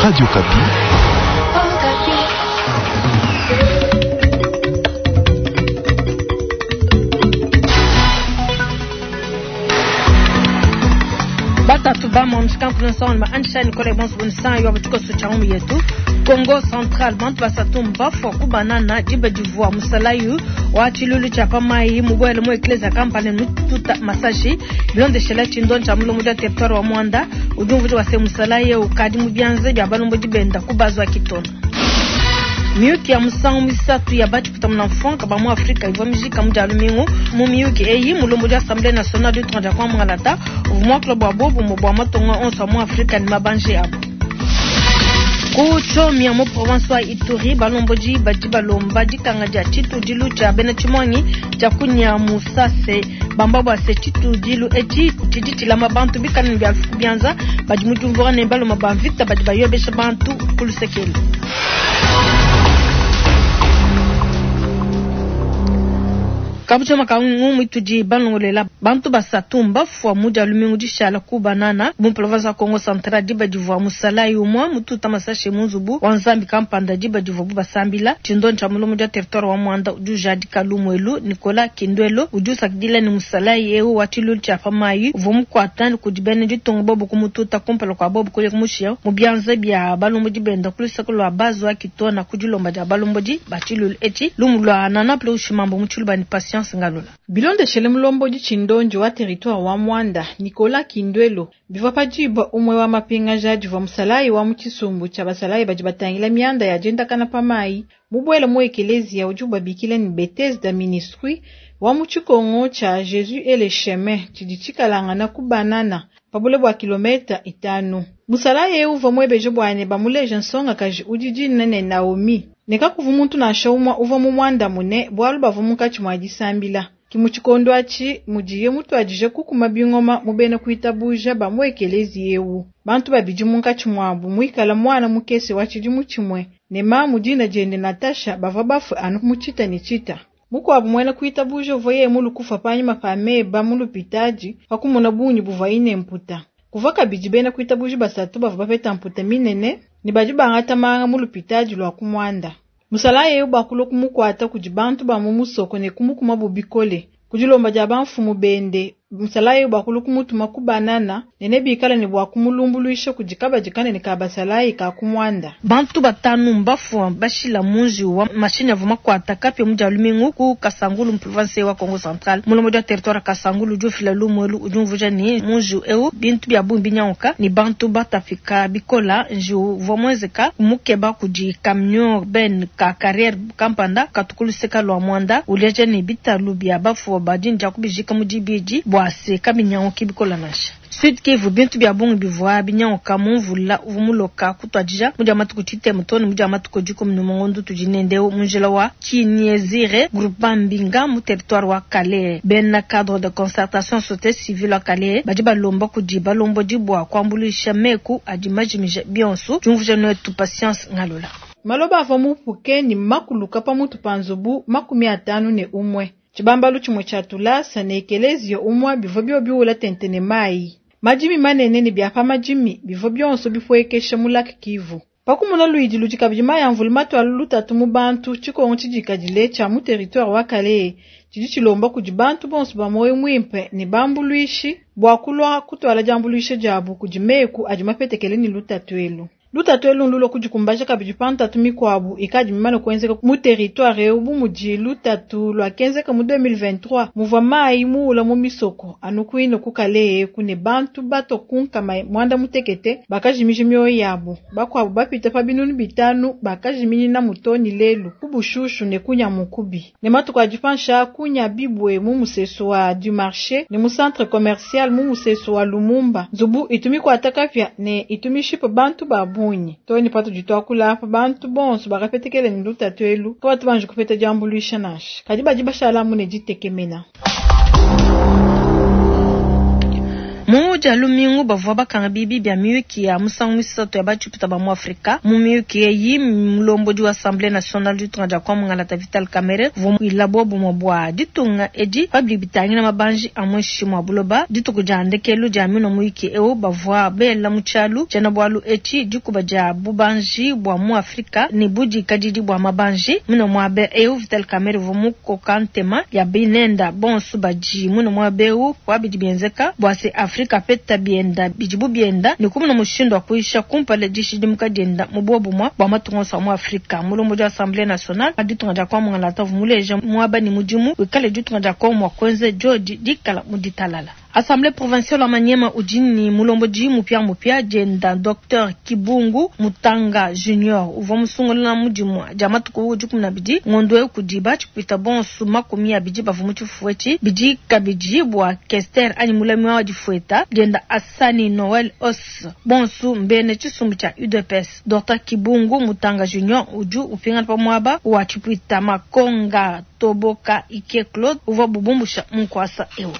Radio Okapi. Batatu ba msikankulu ma ansha Nicole bonso bonsan yo butiko cha umu yetu Congo Central bantu basatu mbafwa kubanana diba divua musalayu wa tshilulu tshia pamai mubwele mu eklezia kampani mututa masashi bilondeshela tshindo tsha mulongo dia territoire wa Mwanda udi umvuja wase musalayi ukadi mu bianze bia balombo dibenda kubazwa kitona. Miyuki ya musangu misatu ya bachiputa muna mfonka ba mu Afrika ivua mijika mu dia lumingu mu miyuki eyi mulombo dia Assemblée nationale du 30 kwa Mwangalata uvua muakula bua bobumu bua matonga onso mu Afrika ni mabanje abo. Ku Tchomia mu province wa Ituri balombodi badi balomba dikanga dia tshitudilu tshia bena tshimuangi tshia kunya musase bamba bua se tshitudilu etshi tshidi tshilama bantu bikala ne bia bianza badi mu diumvua ne baloma ba mvita badi bayobesha bantu ku lusekelu. Kabucha makangu mwitudi balongolela bantu basatu mbafwa mu dia lumingu dishala ku banana mu province ya Congo Central diba divua musalayi umwe mututa masashe mu nzubu wa nzambi kampanda diba divua bu basambila tshindo tsha mulomo dia territoire wa Mwanda udi ujadika lumwelu Nicolas Kindwelo udi usakidila ni musalayi eu wa tshilulu tshia pamayi uvua mukuata kudi bena ditunga bobo kumututa kumpala kwa bobo kuya kumushia mu bianza bia balombodi benda ku luseke lwa bazwa kitona ku dilomba dia balombodi ba tshilulu etshi lumu lwa nana plo ushimambo mu tshiluba ni patience Ngalula. Bilondeshele mulombodi tshindonji wa territoire wa Mwanda Nicolas Kindwelo bivua padiba umwe wa mapingaja divua musalayi wa mu tshisumbu tshia basalayi badi batangila mianda ya diendakana pa mayi mubwele mu ekelezia udi ubabikila ni Bethesda Ministry wa mu tshikongo tshia Jésus et le chemin tshidi tshikalangana ku banana pabule bua kilometa itanu. Musalayi eu uvua muebeje bua bamuleje nsongakaji udi dina ne Naomi ne kakuvu muntu nansha umue uvua mu mwandamune bualu bavua munkatshi mua disambila. Ki mu tshikondo atshi mudiye mutuadije kukuma bingoma mu bena kuitabuja ba mu ekelezi eu. Bantu babidi munkatshi muabu muikala mwana mukese wa tshidimu tshimue ne mamu dina diende Natasha bavua bafue anu mu tshita ne tshita. Mukuabu muena kuitabuja uvua yeye mulukufa panyima pa meba mu lupitadi pa kumona bungi buvua ine mputa. Kuvua kabidi bena kuitabuja basatu bavua bapeta mputa minene ne badi bangata manga mu lupitadi lua ku Mwanda. Musalayi eu bakulua kumukuata kudi bantu ba mu musoko ne kumukuma bikole. Ku dilomba dia bamfumu bende, musalayi eu bakulua kumutuma ku banana ne nebikale ne bua kumulumbuluisha kudi kabadi kanene ka basalayi ka ku Mwanda. Bantu batanu mbafua bashila munji wa mashini avua makuata kapia mu dia lumingu ku Kasangulu mu province wa Congo Central. Mulomo dia territoire Kasangulu udi ufila lumwelu udi umvuja ni munji eu bintu bia bungi binyanguka ni bantu batafika bikola nji uvua muenzeka mukeba kudi camion ben ka carrière kampanda katukuluseka lwa Mwanda uleja ni bitalu bia bafua badinja kubijika mu dibidi bua se kabinyanguki bikola nansha. Sud Kivu bintu bia bungi bivua binyanguka mu mvula uvua muloka kutuadija mu dia matuku tshitema to ne mu dia matuku dikumi ne mungondo tudi nende mu njila wa Kinyezire groupement Mbinga mu territoire wa Kalehe. Bena cadre de concertation société civile wa Kalehe badi balomba kudi balombodi bua kuambuluisha meku adi majimija bionso. Diumvuja netu Patience Ngalula. Maloba avua mupuke ni makuluka pamutu pa nzubu 51. Tshibambalu tshimue tshia tulasa ne ekelezia umue bivua bio biwula tente ne mayi. Madimi manene ne bia pa madimi bivua bionso bipuekesha mu Lac Kivu. Pakumona luidi ludi kabidi mayi a mvula matuala lutatu mu bantu tshikongo tshidikadile tshia mu territoire wa Kalehe tshidi tshilomba kudi bantu bonso ba moyo muimpe ne bambuluishi bua kulua kutuala diambuluisha diabu kudi meku adi mapetekele ne lutatu elu. Lutatu elu ndulua kudikumbaja kabidi pa ntatu mikuabu ikadi mimane kuenzeka mu territoire eu bu mudi lutatu luakenzeka mu 2023 muvua mayi muula mu misoko anu kuine ku Kalehe ku ne bantu bato ku nkama mwanda mutekete bakajimija mioyo yabu bakuabu bapita pa binunu bitanu bakajiminina mutoni lelu ku bushushu ne kunya mukubi ne matuku adi pansha kunya bibwe mu musesu wa du marché ne mu centre commercial mu musesu wa Lumumba nzubu itumi kuata kapia ne itumishipa bantu ba bungi toni patudi tuakula apa bantu bonso bakapetekele ne lutatu elu kabatu banji kupeta diambuluisha nansha kadi badi bashalamu ne ditekemena. Mu Dia lumingu bavua bakanga biibi bia miyuki ya musangu muisatu ya ba-tshipuita ba mu Afrika. Mu miyuki eyi, mulombodi wa Assemblee nationale ditunga dia Kongo Mungalata Vital Kamerhe uvua muila buobumue bua ditunga edi pa bidi bitangila mabanji a muinshi mua buloba. Dituku dia ndekelu dia minua muyuki eu, bavua bela mu tshialu tshiena-bualu etshi, Dikuba dia bubanji bua mu Afrika ne budikadidi bua mabanji. Muine muaba eu, Vital Kamerhe uvua mukoka ntema ya binenda bonso badi muine muaba eu pa bidi bienzeka bua se Afrika apeta bienda bidi bu bienda ne kumuna mushindu wa kuyisha kumpala dishidimuka dienda mu buobumue bua matunga onso a mu Afrika. Mulombodi wa Assemblee nationale wa ditunga dia Kongo Mungalata uvua muleja muaba ne mudimu wikale ditunga dia Kongo mua kuenza diodi dikala mu ditalala. Assemblee provinciale wa Maniema udi ne mulombodi mupiamupia dienda Docteur Kibungu Mutanga Junior uvua musungula mu dimue dia matuku 12 ngondo eu kudi ba tshipuita bonso 20 bavua mu tshifufu etshi. Bidi kabidi bua Kester anyi mulami wa difueta dienda Assani Noel Os bonso mbena tshisumbu tshia UDPS. Docteur Kibungu Mutanga Junior udi upingana pa muaba wa tshipuita Makonga Toboka Ike Claude uvua bubumbusha mu nkuasa eu.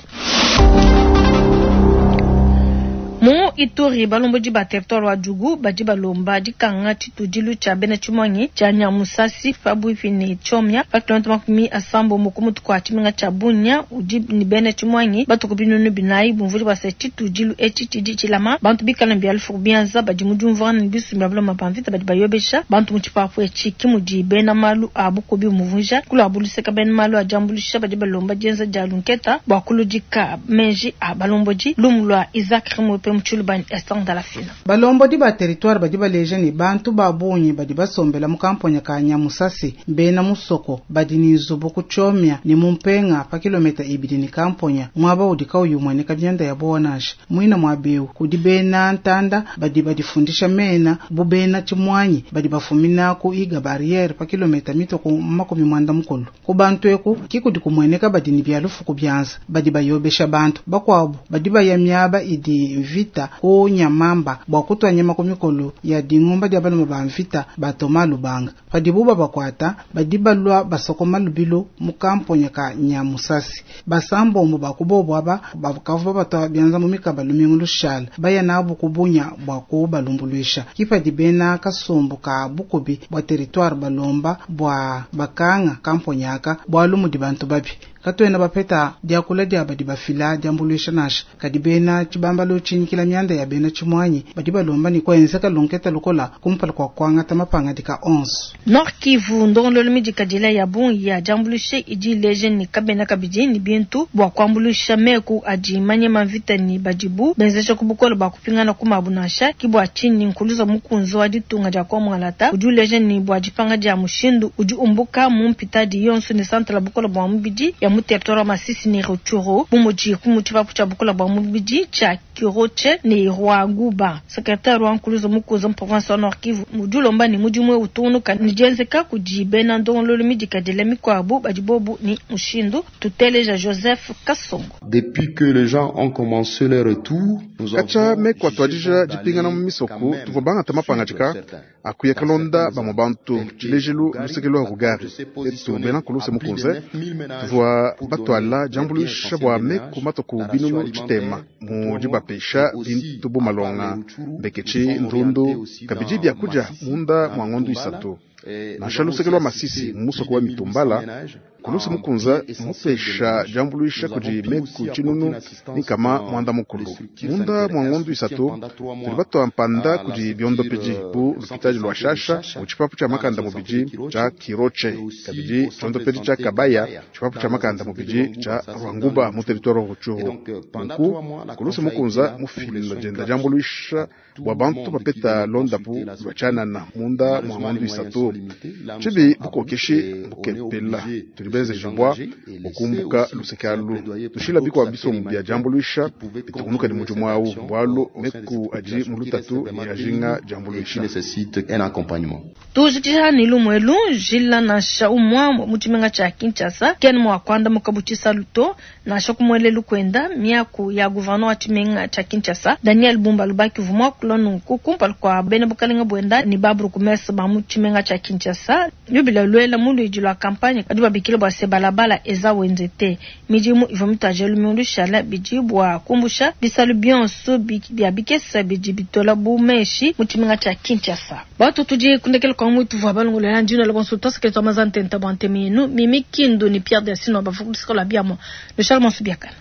Mu Ituri, balombodi ba territoire wa Djugu badi balomba dikanga tshitudilu tshia bena tshimuangi tshia Nyamusasi pabuipi ne Tchomia pa kilomita 80 ku mutu kua tshimenga tshia Bunia udi ne bena tshimuangi batuku 4000 bumvudi bua se tshitudilu etshi tshidi tshilama bantu bikala ne bia lufu ku bianza badi mu diumvuangana ne bisumbu bia baloma ba mvita badi bayobesha bantu mu tshipapu etshi. Ke mudi bena malu a bukubi bumvuija. Ku luabu luseke, bena malu a diambuluisha badi balomba dienza dia lunketa bua kuludika meji a balombodi. Lumu lua Isaac Rimwepe mu Tshiluba ne Esther Ndalafina. Balombodi ba teritware badi baleja ne, bantu ba bungi badi basombela mu kamponya ka Nyamusasi mbena musoko badi ne nzubu ku Tchomia ne mu Mpenga pa kilometa ibidi ne kamponya, muaba udi kauyi umueneka mianda ya buowa nansha. Muine muaba eu kudi bena ntanda badi badifundisha mena bu bena tshimuanyi badi bafumina ku Iga Barriere pa kilometa mitue ku 80. Ku bantu eku ki kudi kumueneka badi ne bia lufu ku bianza badi bayobesha bantu. Bakuabu badi baya miaba idi mvita ku Nyamamba bua kutua nyama ku mikolo ya dingumba dia balume ba mvita ba Thomas Lubanga. Padibu babakuata, badi balua basokoma lubilu mu kamponya ka Nyamusasi. Basambombo ba ku bobu aba bakavua babatua bianza mu mikaba lumingu lushala, baya nabu ku Bunia bua kubalumbuluisha. Ke padi bena kasumbu ka bukubi bua teritware balomba bua bakanga kamponya aka bualu mudi bantu babi. Katuena bapeta diakula dia badi bafila diambuluisha nansha, kadi bena tshibambalu tshinyikila mianda ya bena tshimuanyi badi balomba ne kuenzeka lunketa lukola kumpala kua kuangata mapangadika onso. Nord Kivu, ndongoluelu midikadila ya bungi ya diambuluisha idi ileja ne kabena kabidi ne bintu bua kuambuluisha meku adi manyema mvita ne badibu benzeja ku bukole bua kupingana ku mabu nansha. Ki bua tshinyi Nkuluza Mukunze wa ditunga dia Kongo Mungalata udi uleja ne bua dipanga dia mushindu udi umbuka mu mpitadi yonso ne santala bukole bua mubidi ya mu territoire wa Masisi ne Rutshuru bu mudi ku mu tshipapu tshia bukole bua mubidi tshia Kirotshe ne Rwaguba. Secretaire wa Nkuluza Mukunze mu province wa Nord Kivu udi ulomba ne mudimu eu utungunuka ne dienzeka kudi bena ndongoluelu midikadile mikuabu badi bobu ne mushindu. Tuteleja Joseph Kasongo. Depuis que les gens ont commencé leur retour, nous Katshia avons meku jugé atuadija bon dipingana mu d'aller misoko, quand même tuvua bangata suivre mapangadika certains. a kuya Dans kalonda certaines bamue zones, bantu. telles que Tshilejilu Rugari, luseke lua la Rugari se etu positionner bena à Nkuluse plus de Mukunze 9000 ménages tuvua pour donner batuala les biens diambuluisha essentiels bua des meku ménages, matuku la ration binunu tshitema alimentaire pour mu 3 mois, dibapesha et aussi bintu bu à part malonga les Rutshuru, nous mbeketshi sommes orientés ndundu aussi kabidi dans bia kudia Masisi, munda dans mua ngondo Mitumbala, isatu. et nous Nansha avons luseke aussi lua assisté Masisi plus mu musoko de wa 1800 Mitumbala, ménages Nkulusa en Mukunza biens essentiels de mupesha ménage. diambuluisha Nous kudi avons pu meku aussi apporter tshinunu une assistance nkama dans mwanda les mukulu. structures Munda sanitaires mua et un ngondo soutien isatu pendant 3 tudi mois batua mpanda à la kudi biondopedi structure bu au centre de lupitadi lua santé de Shasha Shasha mu tshipapu tshia dans la makanda zone santé de mubidi Kirotshe tshia Kirotshe et aussi kabidi au centre de tshiondopedi tshia santé Kabaya Kabaya tshipapu dans tshia la zone makanda santé de mubidi Rwanguba, tshia ça c'est dans le Rwanguba mu Rutshuru. territoire wa Et Rutshuru. donc pendant Nunku 3 mois, la Nkulusa CONFA a été Mukunza là pour les mufila soins dienda gratuits diambuluisha à tout bua le bantu monde qui bapeta venait londapu consulter la lua structure. tshianana munda mua Malheureusement, ngondo les moyens isatu. sont limités. Là, nous Tshibi sommes à bout bukokeshi et on est bukepela obligé tudi de se benzejibua désengager et laisser bukumbuka aussi luseke c'est un alu plaidoyer pour tushila d'autres bikua acteurs bisumbu bia humanitaires diambuluisha qui pouvaient bitukunuka ne continuer mudimu cette awu action bualu au sein de cette meku adi population mu qui reste lutatu ne vraiment ajinga démunie et qui diambuluisha. nécessite un accompagnement. Tujikija ne lumu elu njila nansha umue mu tshimenga tshia Kinshasa kena mua kuandamuka bu tshisalu to nansha ku muelelu kuenda miaku ya gouverneur wa tshimenga tshia Kinshasa Daniel Bumba Lubaki uvua muakula nunku kumpala kua bena bukalenga buenda ne ba bourgmestre ba mu tshimenga tshia Kinshasa lubila luela mu luidi lua campagne badi babikila bua se balabala eza wenze te. Midimu ivua mituadija lumingu lushala bidi bua kumbusha bisalu bionso bia bikesa bidi bitola bu meshi mu tshimenga tshia Kinshasa. Batu tudi kundekela kwa mutu vua balongolola ndino la bonso twasakela twa mazantenta bua ntemi yenu Mimi Kindu ni Pierre Delcino bavua kulusika lua biamua. Lushal monso biakana.